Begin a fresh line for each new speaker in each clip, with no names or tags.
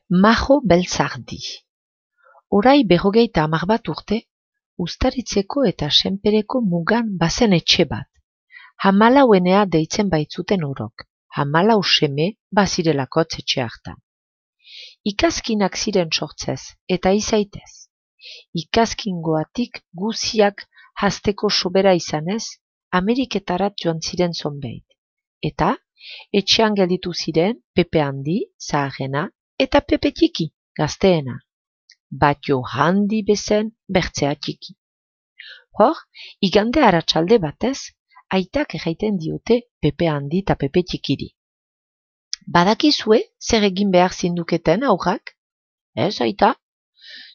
Majo Beltzardi. Orai 50 urte, Uztaritzeko eta Senpereko mugan bazen etxe bat. Hamalauenea deitzen baitzuten orok, 14 seme bazirelakotz etxe hartan. Ikazkinak ziren sortzez, eta izaitez. Ikazkingoatik guziak hasteko sobera izanez, Ameriketarat joan ziren zonbeit. Eta, etxean gelditu ziren Pepe Handi, zaharrena, eta Pepe Txiki, gazteena. Batio handi bezen bertzea txiki. Hor, igande arratsalde batez, aitak erraiten diote Pepe Handi eta Pepe Txikiri. Badakizue zer egin behar zinduketen aurrak? Ez, aita?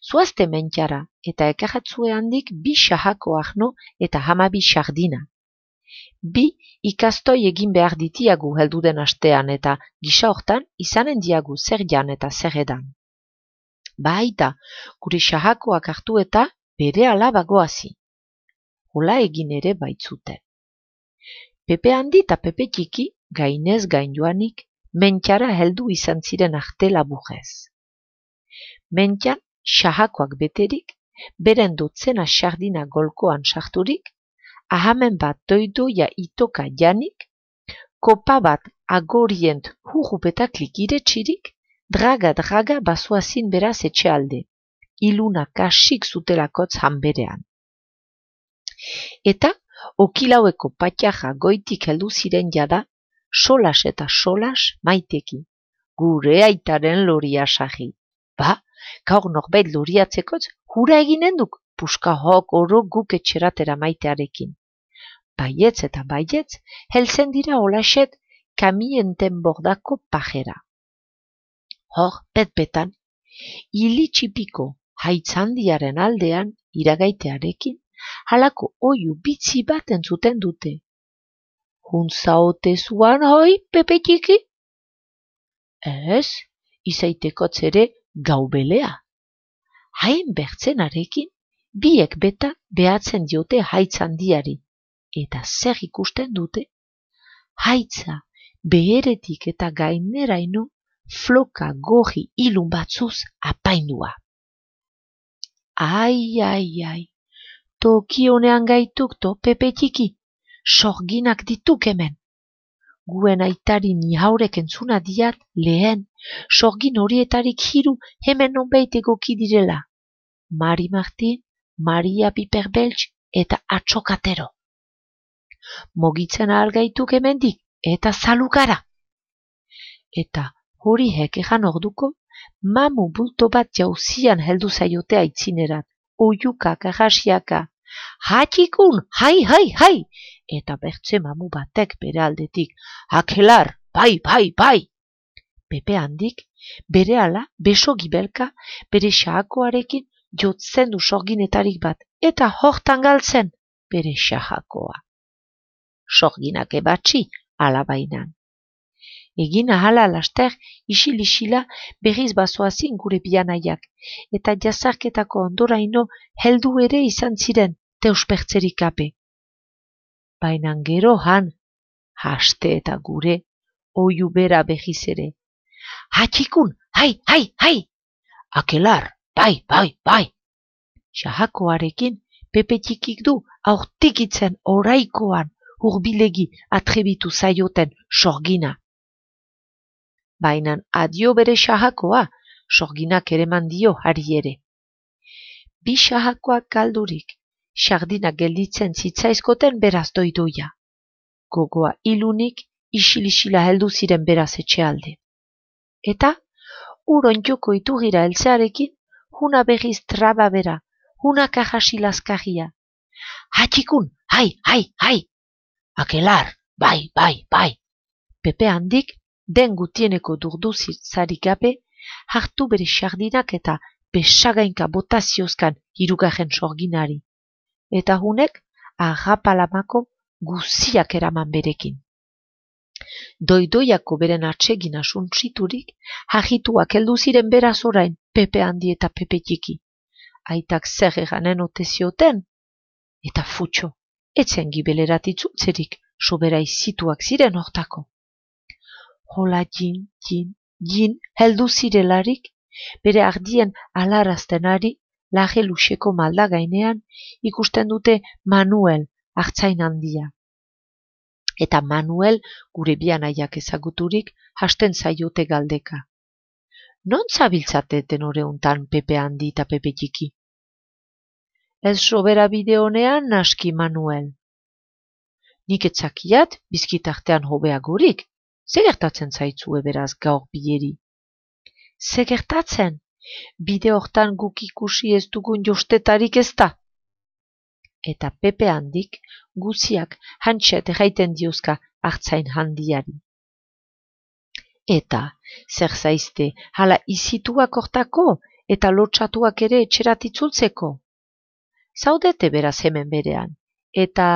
Zoazte mentxara eta ekarratzue handik 2 xahako arno eta 12 xardina. 2 ikastoi egin behar ditiagu helduden astean eta gisa hortan izanen diagu zer jan eta zer edan. Baita, gure xahakoak hartu eta bere alabagoazi. Hola egin ere baitzuten. Pepe Handi eta Pepe Txiki, gainez gain joanik, mentxara heldu izan ziren arte laburrez. Mentxan, xahakoak beterik, beren dotzena xardina golkoan sarturik, ahamen bat doidoia itoka janik, kopa bat agorient hurrupetaklik iretxirik, draga bazoazin beraz etxealde, iluna kasik zutelakotz hanberean. Eta, okilaueko patxaja goitik heldu ziren jada, solas eta solas maiteki, gure aitaren loria sagi. Ba, gaur norbait loriatzekotz, hura eginen duk, puska hok oro guk etxeratera maitearekin. Baietz eta baietz, helzen dira olaxet kamienten bordako pajera. Hor, bet-betan, ilitxipiko haitzandiaren aldean iragaitearekin, halako oiu bitzi bat entzuten dute. Huntzaote zuan hoi, Pepe Txiki? Ez, izaitekotz ere gaubelea. Hain bertzenarekin, biek beta behatzen diote haitzandiari. Eta zer ikusten dute? Haitza, beheretik eta gaineraino, floka goji ilun batzuz apaindua. Ai, toki honean gaituk to, Pepe Txiki, sorginak dituk hemen. Guen aitari ni haurek entzuna diat lehen, sorgin horietarik hiru hemen nonbait egoki direla. Mari Martin, Maria Piperbeltz eta Atxokatero. Mogitzen ahal gaituk hemendik eta zalukara. Eta hori egan orduko, mamu bulto bat jauzian heldu zaiote aitzinerat, oiukak, arrasiaka. Hatxikun, hai! Eta bertze mamu batek bere aldetik, akelar, bai! Pepe Handik, berehala beso gibelka, bere xahakoarekin jotzen du sorginetarik bat, eta hortan galtzen bere xahakoa. Sorginak ebatxi, alabainan. Egin ahala laster, isil-isila berriz bazoazin gure bianaiak, eta jazarketako ondoraino heldu ere izan ziren deuspertzerik gabe. Bainan gero han, haste eta gure, oiu bera berriz ere. Hatxikun, hai! Akelar, bai! Xahakoarekin Pepe Txikik du aurtikitzen oraikoan hurbilegi atrebitu zaioten sorgina. Bainan adio bere xahakoa, sorginak ereman dio hari ere. 2 xahakoak galdurik, sardinak gelditzen zitzaizkoten beraz doidoia. Gogoa ilunik, isil-isila heldu ziren beraz etxealde. Eta, urontxoko iturgira heltzearekin, huna berriz traba bera, huna kajasi laskarria. Hatxikun, hai! Akelar, bai! Pepe Handik, den gutieneko durduzarik gabe, hartu bere sardinak eta besagainka botaziozkan hirugarren sorginari. Eta hunek, arrapalamako guziak eraman berekin. Doidoiako beren atsegin asuntziturik, hagituak heldu ziren beraz orain Pepe Handi eta Pepe Txiki. Aitak zer eganen ote zioten? Eta futxo, etzen gibelerat itzultzerik, sobera izituak ziren hortako. Hola jin, heldu zirelarik, bere ardien alaraztenari laje luxeko malda gainean ikusten dute Manuel artzain handia. Eta Manuel gure bi anaiak ezaguturik hasten zaiote galdeka. Non zabiltzateten oreuntan Pepe handi eta Pepe txiki? Ez sobera bide honean naski Manuel. Nik etzakiat bizkitartean hobeagorik. Ze gertatzen zaitzue beraz gaur bileri? Ze gertatzen? Bide hortan guk ikusi ez dugun jostetarik ez da. Eta Pepe handik guziak hantxet erraiten diozka artzain handiari. Eta, zer zaizte, hala izituak hortako eta lotxatuak ere etxerat itzultzeko. Zaudete beraz hemen berean, eta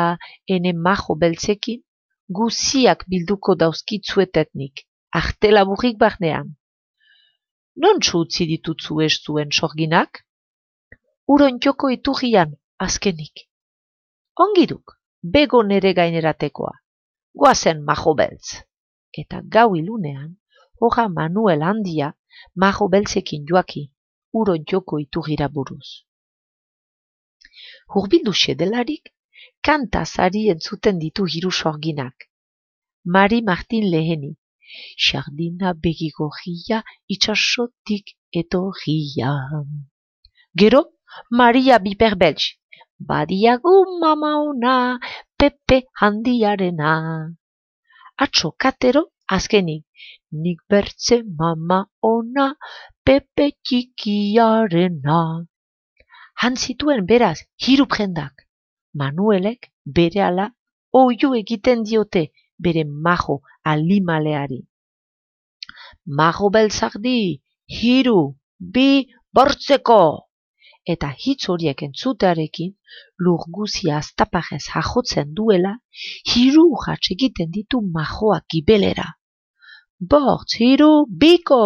ene majo beltzekin guziak bilduko dauzkitzuetetnik, artelaburrik barnean. Nontsu utzi ditutzu ez zuen sorginak? Urontxoko iturrian, azkenik. Ongiduk, bego nere gaineratekoa, goazen majo beltz. Eta gau ilunean, hoja Manuel handia majo beltzekin joaki, urontxoko iturrira buruz. Hurbildu xedelarik, kantazari entzuten ditu hiru sorginak. Mari Martin leheni, xardina begigorria itxasotik etorria. Gero, Maria Biperbeltx, badiagu mama ona, Pepe handiarena. Atxo katero, azkenik, nik bertze mama ona, Pepe txikiarena. Hantzituen beraz, hiru prendak. Manuelek berehala oiu egiten diote bere majo alimaleari. Majo beltzardi, hiru, bi, bortzeko! Eta hitz horiek entzutearekin, lur guzia aztaparez jajotzen duela, hiru urrats egiten ditu majoak gibelera. Bortz, hiru, biko!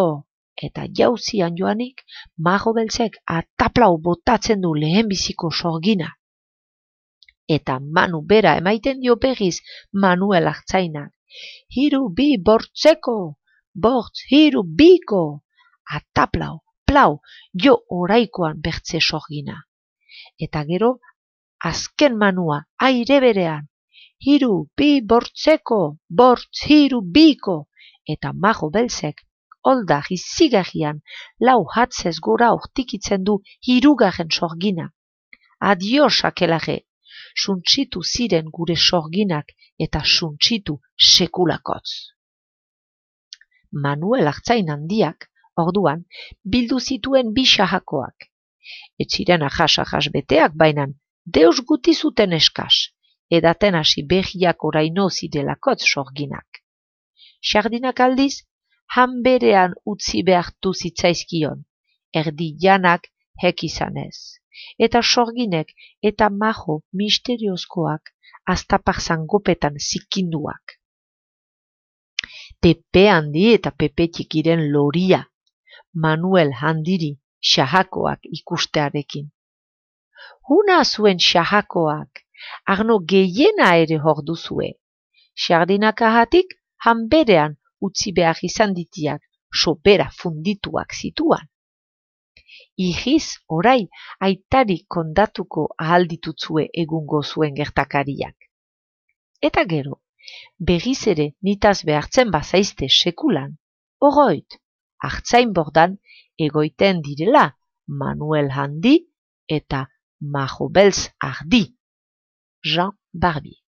Eta jauzian joanik, majo beltzek ataplau botatzen du lehenbiziko sorgina. Eta Manu bera emaiten dio berriz Manuel artzainak. Hiru, bi, bortzeko! Bortz, hiru, biko! Ataplau, plau, jo oraikoan bertze sorgina. Eta gero, azken Manua, aire berean. Hiru, bi, bortzeko! Bortz, hiru, biko! Eta majo beltzek, holda izigarrian, lau hatzez gora hortikitzen du hirugarren sorgina. Adios akelare, suntsitu ziren gure sorginak eta suntsitu sekulakotz. Manuel artzain handiak, orduan, bildu zituen bi xahakoak. Ez ziren ahas beteak bainan, deus guti zuten eskas, edaten hasi behiak oraino zidelakotz sorginak. Xardinak aldiz, han berean utzi behartu zitzaizkion, erdi janak hek izanez, eta sorginek eta majo misteriozkoak aztapar zangopetan zikinduak. Pepe handi eta Pepe txikiren loria, Manuel handiri xahakoak ikustearekin. Huna zuen xahakoak, arno gehiena ere hor duzue. Xardinak ahatik, han berean utzi behar izan ditiak, sobera fundituak zituan. Ihiz, orai, aitari kondatuko ahalditutzue egungo zuen gertakariak. Eta gero, berriz ere nitaz behartzen bazaizte sekulan, oroit, artzain bordan egoiten direla Manuel handi eta majo beltz ardi. Jean Barbier.